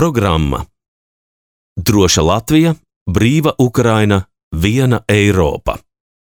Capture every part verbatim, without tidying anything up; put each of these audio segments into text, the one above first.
Programma Droša Latvija, brīva Ukraina, viena Eiropa.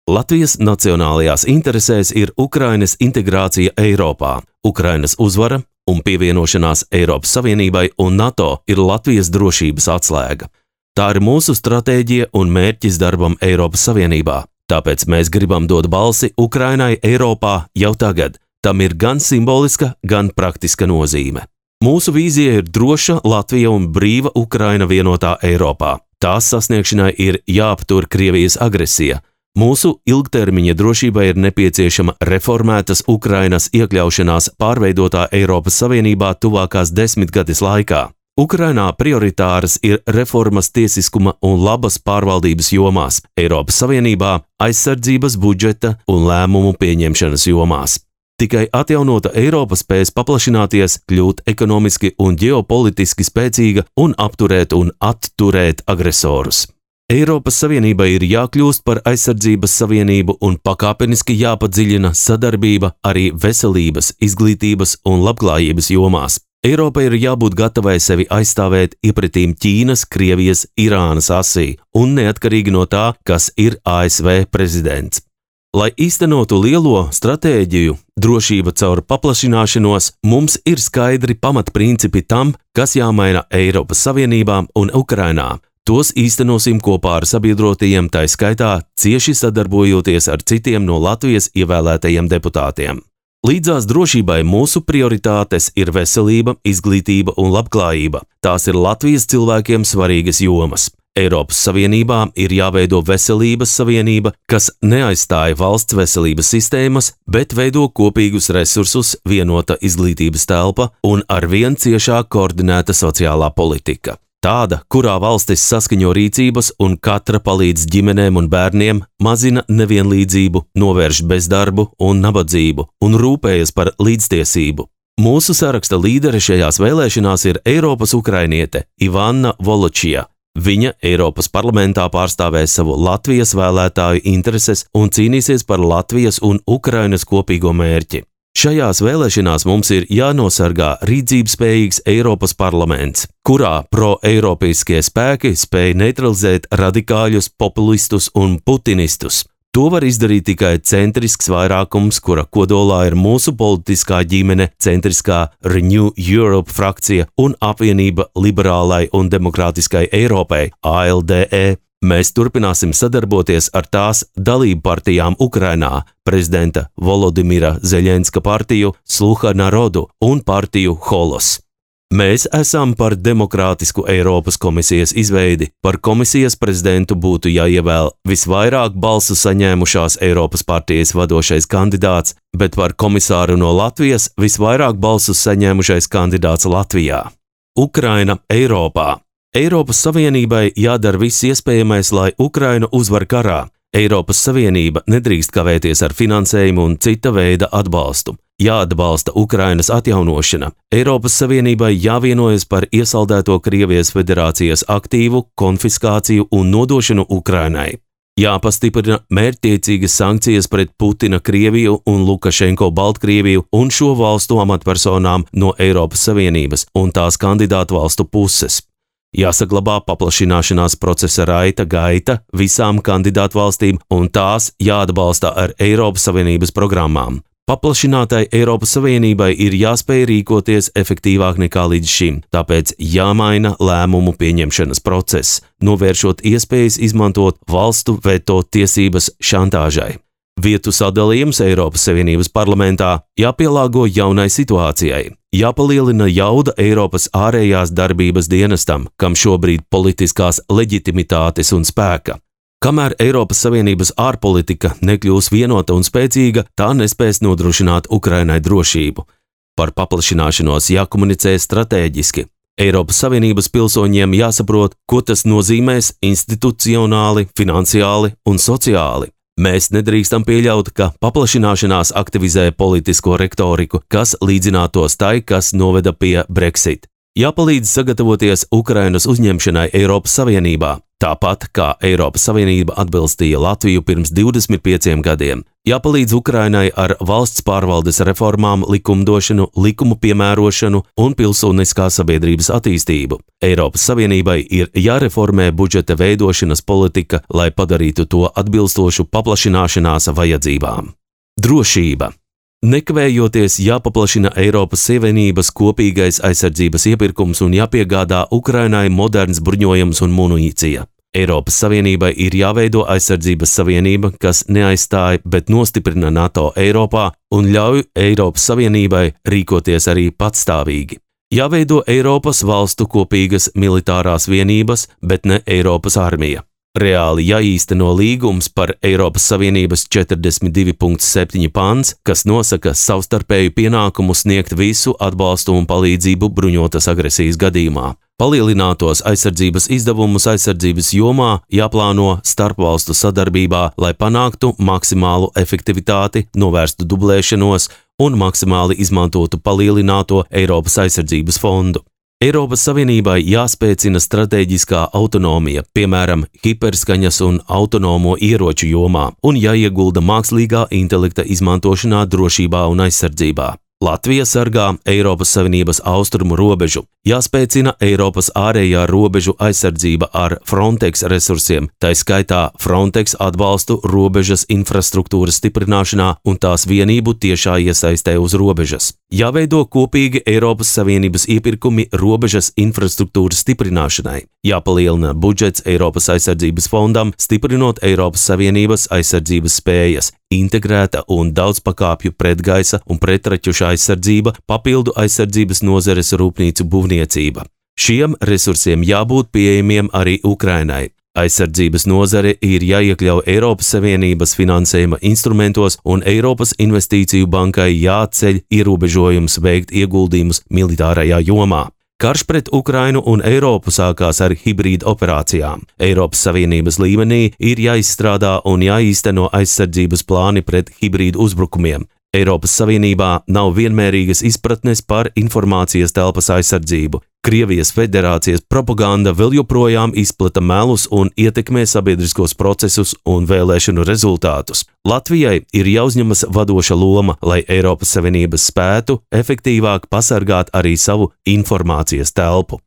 Latvijas nacionālajās interesēs ir Ukrainas integrācija Eiropā, Ukrainas uzvara un pievienošanās Eiropas Savienībai un NATO ir Latvijas drošības atslēga. Tā ir mūsu stratēģija un mērķis darbam Eiropas Savienībā, tāpēc mēs gribam dot balsi Ukrainai Eiropā jau tagad. Tam ir gan simboliska, gan praktiska nozīme. Mūsu vīzija ir droša Latvija un brīva Ukraina vienotā Eiropā. Tās sasniegšanai ir jāaptur Krievijas agresija. Mūsu ilgtermiņa drošībai ir nepieciešama reformētas Ukrainas iekļaušanās pārveidotā Eiropas Savienībā tuvākās desmitgades laikā. Ukrainā prioritāras ir reformas tiesiskuma un labas pārvaldības jomās, Eiropas Savienībā aizsardzības budžeta un lēmumu pieņemšanas jomās. Tikai atjaunota Eiropa spēs paplašināties, kļūt ekonomiski un ģeopolitiski spēcīga un apturēt un atturēt agresorus. Eiropas Savienībai ir jākļūst par aizsardzības savienību un pakāpeniski jāpadziļina sadarbība arī veselības, izglītības un labklājības jomās. Eiropai ir jābūt gatavai sevi aizstāvēt iepretīm Ķīnas, Krievijas, Irānas asī un neatkarīgi no tā, kas ir A S V prezidents. Lai īstenotu lielo stratēģiju, drošība caur paplašināšanos, mums ir skaidri pamatprincipi tam, kas jāmaina Eiropas Savienībām un Ukrainā. Tos īstenosim kopā ar sabiedrotajiem, tai skaitā cieši sadarbojoties ar citiem no Latvijas ievēlētajiem deputātiem. Līdzās drošībai mūsu prioritātes ir veselība, izglītība un labklājība. Tās ir Latvijas cilvēkiem svarīgas jomas. Eiropas Savienībā ir jāveido veselības savienība, kas neaizstāja valsts veselības sistēmas, bet veido kopīgus resursus, vienota izglītības telpa un arvien ciešāk koordinēta sociālā politika. Tāda, kurā valstis saskaņo rīcības un katra palīdz ģimenēm un bērniem, mazina nevienlīdzību, novērš bezdarbu un nabadzību un rūpējas par līdztiesību. Mūsu saraksta līdere šajās vēlēšanās ir Eiropas ukrainiete Ivana Voločija. Viņa Eiropas parlamentā pārstāvēs savu Latvijas vēlētāju intereses un cīnīsies par Latvijas un Ukrainas kopīgo mērķi. Šajās vēlēšanās mums ir jānosargā rīcībspējīgs Eiropas parlaments, kurā pro-eiropeiskie spēki spēj neutralizēt radikāļus, populistus un putinistus. To var izdarīt tikai centrisks vairākums, kura kodolā ir mūsu politiskā ģimene, centriskā Renew Europe frakcija un apvienība liberālai un demokrātiskai Eiropai A L D E. Mēs turpināsim sadarboties ar tās dalību partijām Ukrainā, prezidenta Volodimira Zeļenska partiju, Sluha Narodu un partiju Holos. Mēs esam par demokrātisku Eiropas komisijas izveidi. Par komisijas prezidentu būtu jāievēl visvairāk balsu saņēmušās Eiropas partijas vadošais kandidāts, bet par komisāru no Latvijas visvairāk balsu saņēmušais kandidāts Latvijā. Ukraina Eiropā. Eiropas Savienībai jādara viss iespējamais, lai Ukraina uzvar karā. Eiropas Savienība nedrīkst kavēties ar finansējumu un cita veida atbalstu. Jāatbalsta Ukrainas atjaunošana. Eiropas Savienībai jāvienojas par iesaldēto Krievijas federācijas aktīvu konfiskāciju un nodošanu Ukrainai. Jāpastiprina mērķtiecīgas sankcijas pret Putina Krieviju un Lukašenko Baltkrieviju un šo valstu amatpersonām no Eiropas Savienības un tās kandidātu valstu puses. Jāsaglabā paplašināšanās procesa raita gaita visām kandidātu valstīm un tās jāatbalsta ar Eiropas Savienības programmām. Paplašinātai Eiropas Savienībai ir jāspēj rīkoties efektīvāk nekā līdz šim, tāpēc jāmaina lēmumu pieņemšanas process, novēršot iespējas izmantot valstu veto tiesības šantāžai. Vietu sadalījums Eiropas Savienības parlamentā jāpielāgo jaunai situācijai. Jāpalielina jauda Eiropas ārējās darbības dienestam, kam šobrīd politiskās leģitimitātes un spēka. Kamēr Eiropas Savienības ārpolitika nekļūs vienota un spēcīga, tā nespēs nodrošināt Ukrainai drošību. Par paplašināšanos jākomunicē stratēģiski. Eiropas Savienības pilsoņiem jāsaprot, ko tas nozīmēs institucionāli, finansiāli un sociāli. Mēs nedrīkstam pieļaut, ka paplašināšanās aktivizē politisko retoriku, kas līdzinātos tai, kas noveda pie Brexit. Jāpalīdz sagatavoties Ukrainas uzņemšanai Eiropas Savienībā, tāpat kā Eiropas Savienība atbilstīja Latviju pirms divdesmit pieciem gadiem. Jāpalīdz Ukrainai ar valsts pārvaldes reformām, likumdošanu, likumu piemērošanu un pilsoniskā sabiedrības attīstību. Eiropas Savienībai ir jāreformē budžeta veidošanas politika, lai padarītu to atbilstošu paplašināšanās vajadzībām. Drošība. Nekavējoties jāpaplašina Eiropas Savienības kopīgais aizsardzības iepirkums un jāpiegādā Ukrainai moderns bruņojums un munīcija. Eiropas Savienībai ir jāveido aizsardzības savienība, kas neaizstāja, bet nostiprina NATO Eiropā un ļauj Eiropas Savienībai rīkoties arī patstāvīgi. Jāveido Eiropas valstu kopīgas militārās vienības, bet ne Eiropas armija. Reāli jāīsteno līgums par Eiropas Savienības četrdesmit divi punkts septiņi pants, kas nosaka savstarpēju pienākumu sniegt visu atbalstu un palīdzību bruņotas agresijas gadījumā. Palielinātos aizsardzības izdevumus aizsardzības jomā jāplāno starpvalstu sadarbībā, lai panāktu maksimālu efektivitāti, novērstu dublēšanos un maksimāli izmantotu palielināto Eiropas aizsardzības fondu. Eiropas Savienībai jāspēcina stratēģiskā autonomija, piemēram, hiperskaņas un autonomo ieroču jomā, un jāiegulda mākslīgā intelekta izmantošanā drošībā un aizsardzībā. Latvija sargā Eiropas Savienības austrumu robežu, jāspēcina Eiropas ārējā robežu aizsardzība ar Frontex resursiem, tai skaitā Frontex atbalstu robežas infrastruktūras stiprināšanā un tās vienību tiešā iesaistē uz robežas. Jāveido kopīgi Eiropas Savienības iepirkumi robežas infrastruktūras stiprināšanai. Jāpalielina budžets Eiropas aizsardzības fondam, stiprinot Eiropas Savienības aizsardzības spējas, integrēta un daudzpakāpju pretgaisa un pretraķuša aizsardzība, papildu aizsardzības nozares rūpnīcu būvniecība. Šiem resursiem jābūt pieejamiem arī Ukrainai. Aizsardzības nozare ir jāiekļauj Eiropas Savienības finansējuma instrumentos un Eiropas Investīciju bankai jāatceļ ierobežojums veikt ieguldījumus militārajā jomā. Karš pret Ukrainu un Eiropu sākās ar hibrīda operācijām. Eiropas Savienības līmenī ir jāizstrādā un jāīsteno aizsardzības plāni pret hibrīdu uzbrukumiem. Eiropas Savienībā nav vienmērīgas izpratnes par informācijas telpas aizsardzību. Krievijas federācijas propaganda vēl joprojām izplata melus un ietekmē sabiedriskos procesus un vēlēšanu rezultātus. Latvijai ir jāuzņemas vadoša loma, lai Eiropas Savienības spētu efektīvāk pasargāt arī savu informācijas telpu.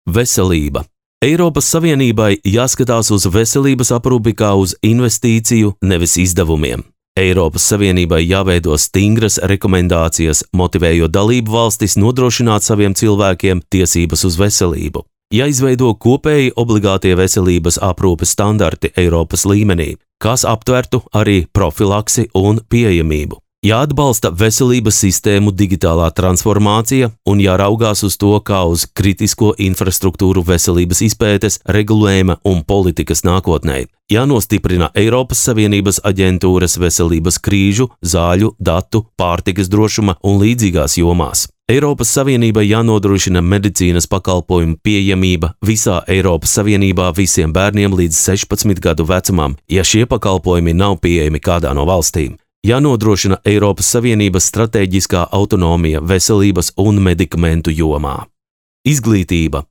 Veselība. Eiropas Savienībai jāskatās uz veselības aprūpi kā uz investīciju, nevis izdevumiem. Eiropas Savienībai jāveido stingras rekomendācijas, motivējot dalību valstis nodrošināt saviem cilvēkiem tiesības uz veselību. Jāizveido kopēji obligātie veselības aprūpes standarti Eiropas līmenī, kas aptvertu arī profilaksi un pieejamību. Jāatbalsta veselības sistēmu digitālā transformācija un jāraugās uz to kā uz kritisko infrastruktūru veselības izpētes, regulējuma un politikas nākotnē. Jānostiprina Eiropas Savienības aģentūras veselības krīžu, zāļu, datu, pārtikas drošuma un līdzīgās jomās. Eiropas Savienībai jānodrošina medicīnas pakalpojumu pieejamība visā Eiropas Savienībā visiem bērniem līdz sešpadsmit gadu vecumam, ja šie pakalpojumi nav pieejami kādā no valstīm. Jānodrošina Eiropas Savienības stratēģiskā autonomija veselības un medikamentu jomā. Izglītība.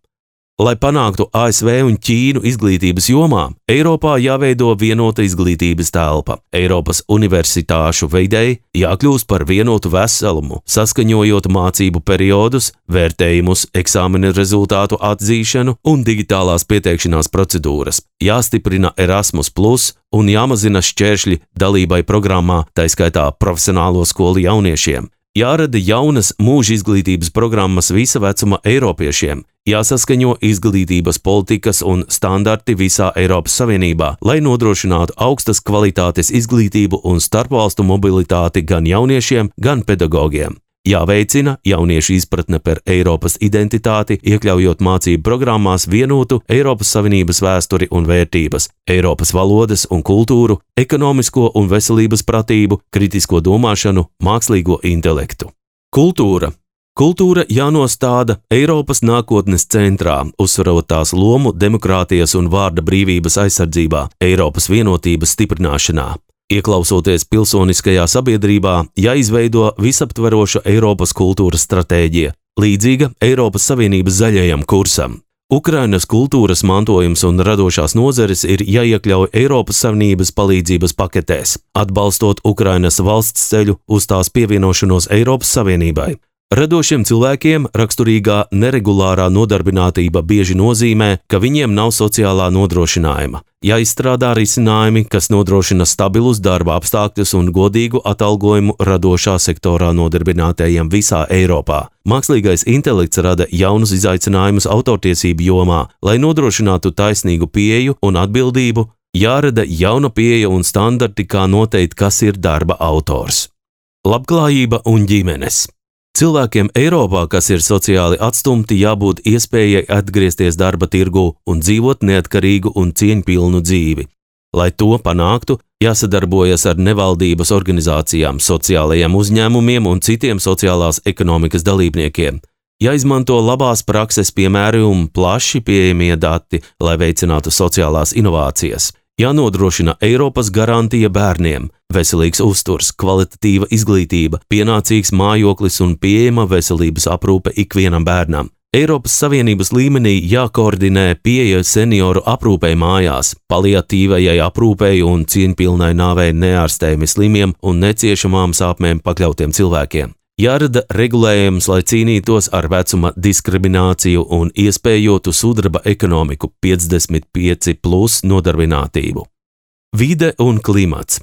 Lai panāktu A S V un Ķīnu izglītības jomā, Eiropā jāveido vienota izglītības telpa. Eiropas universitāšu veidei jākļūst par vienotu veselumu, saskaņojot mācību periodus, vērtējumus, eksāmena rezultātu atzīšanu un digitālās pieteikšanās procedūras. Jāstiprina Erasmus plus un jāmazina šķēršļi dalībai programmā, tai skaitā profesionālo skolu jauniešiem. Jārada jaunas mūža izglītības programmas visa vecuma eiropiešiem, jāsaskaņo izglītības politikas un standarti visā Eiropas Savienībā, lai nodrošinātu augstas kvalitātes izglītību un starpvalstu mobilitāti gan jauniešiem, gan pedagogiem. Jāveicina jauniešu izpratne par Eiropas identitāti, iekļaujot mācību programmās vienotu Eiropas Savienības vēsturi un vērtības, Eiropas valodas un kultūru, ekonomisko un veselības pratību, kritisko domāšanu, mākslīgo intelektu. Kultūra. Kultūra jānostāda Eiropas nākotnes centrā, uzsverot tās lomu demokrātijas un vārda brīvības aizsardzībā, Eiropas vienotības stiprināšanā. Ieklausoties pilsoniskajā sabiedrībā, jāizveido visaptveroša Eiropas kultūras stratēģija. līdzīga Eiropas Savienības zaļajam kursam. Ukrainas kultūras mantojums un radošās nozares ir jāiekļauj Eiropas Savienības palīdzības paketēs, atbalstot Ukrainas valsts ceļu uz tās pievienošanos Eiropas Savienībai. Radošiem cilvēkiem raksturīgā neregulārā nodarbinātība bieži nozīmē, ka viņiem nav sociālā nodrošinājuma. Jāizstrādā risinājumi, kas nodrošina stabilus darba apstākļus un godīgu atalgojumu radošā sektorā nodarbinātajiem visā Eiropā. Mākslīgais intelekts rada jaunus izaicinājumus autortiesību jomā, lai nodrošinātu taisnīgu pieeju un atbildību, jārada jauna pieeja un standarti, kā noteikt, kas ir darba autors. Labklājība un ģimenes. Cilvēkiem Eiropā, kas ir sociāli atstumti, jābūt iespējai atgriezties darba tirgū un dzīvot neatkarīgu un cieņpilnu dzīvi. Lai to panāktu, jāsadarbojas ar nevaldības organizācijām, sociālajiem uzņēmumiem un citiem sociālās ekonomikas dalībniekiem. Jāizmanto labās prakses piemēri un plaši pieejamie dati, lai veicinātu sociālās inovācijas. Jānodrošina Eiropas garantija bērniem, veselīgs uzturs, kvalitatīva izglītība, pienācīgs mājoklis un pieejama veselības aprūpe ikvienam bērnam. Eiropas Savienības līmenī jākoordinē pieeja senioru aprūpei mājās, paliatīvajai aprūpei un cieņpilnai nāvei neārstējami slimiem un neciešamām sāpēm pakļautiem cilvēkiem. Jārada regulējums, lai cīnītos ar vecuma diskrimināciju un iespējotu sudraba ekonomiku piecdesmit pieci plus nodarbinātību. Vide un klimats.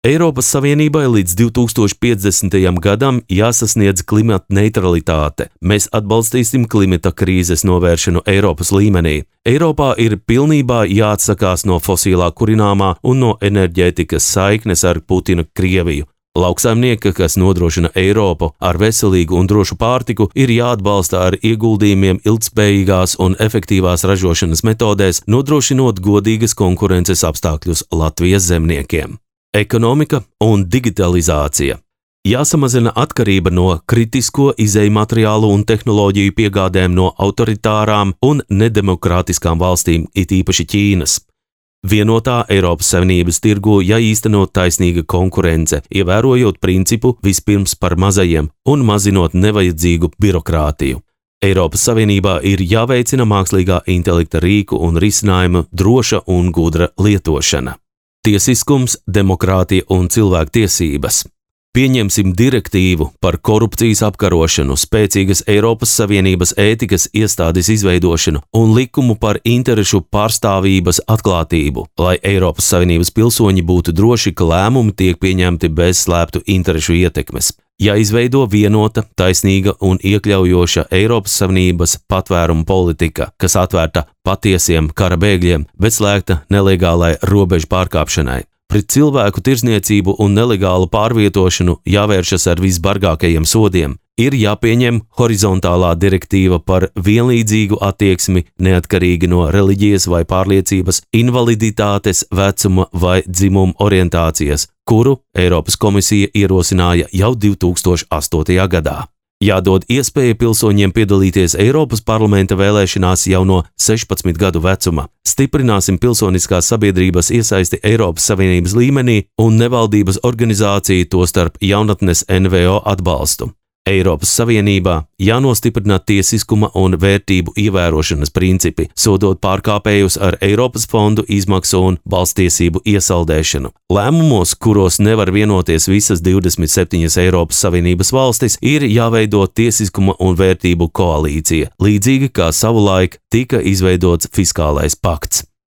Eiropas Savienībai līdz divi tūkstoši piecdesmitajam gadam jāsasniedz klimata neutralitāte. Mēs atbalstīsim klimata krīzes novēršanu Eiropas līmenī. Eiropā ir pilnībā jāatsakās no fosilā kurināmā un no enerģētikas saiknes ar Putina Krieviju. Lauksaimnieki, kas nodrošina Eiropu ar veselīgu un drošu pārtiku, ir jāatbalsta ar ieguldījumiem ilgtspējīgās un efektīvās ražošanas metodēs, nodrošinot godīgas konkurences apstākļus Latvijas zemniekiem. Ekonomika un digitalizācija. Jāsamazina atkarība no kritisko izēju materiālu un tehnoloģiju piegādēm no autoritārām un nedemokrātiskām valstīm, it īpaši Ķīnas. Vienotā Eiropas Savienības tirgū jāīsteno taisnīga konkurence, ievērojot principu vispirms par mazajiem un mazinot nevajadzīgu birokrātiju. Eiropas Savienībā ir jāveicina mākslīgā intelekta rīku un risinājumu droša un gudra lietošana. Tiesiskums, demokrātija un cilvēktiesības. Pieņemsim direktīvu par korupcijas apkarošanu, spēcīgas Eiropas Savienības ētikas iestādes izveidošanu un likumu par interešu pārstāvības atklātību, lai Eiropas Savienības pilsoņi būtu droši, ka lēmumi tiek pieņemti bez slēptu interešu ietekmes. Jāizveido vienota, taisnīga un iekļaujoša Eiropas Savienības patvērumu politika, kas atvērta patiesiem kara bēgļiem, bet slēgta nelegālai robežu pārkāpšanai. Pret cilvēku tirzniecību un nelegālu pārvietošanu jāvēršas ar visbargākajiem sodiem. Ir jāpieņem horizontālā direktīva par vienlīdzīgu attieksmi neatkarīgi no reliģijas vai pārliecības, invaliditātes, vecuma vai dzimuma orientācijas, kuru Eiropas komisija ierosināja jau divi tūkstoši astotajā gadā. Jādod iespēja pilsoņiem piedalīties Eiropas parlamenta vēlēšanās jau no sešpadsmit gadu vecuma. Stiprināsim pilsoniskās sabiedrības iesaisti Eiropas Savienības līmenī un nevaldības organizāciju, tostarp jaunatnes N V O atbalstu. Eiropas Savienībā jānostiprina tiesiskuma un vērtību ievērošanas principi, sodot pārkāpējus ar Eiropas fondu izmaksu un balstiesību iesaldēšanu. Lēmumos, kuros nevar vienoties visas divdesmit septiņas Eiropas Savienības valstis, ir jāveido tiesiskuma un vērtību koalīcija, līdzīgi kā savulaik tika izveidots fiskālais pakts.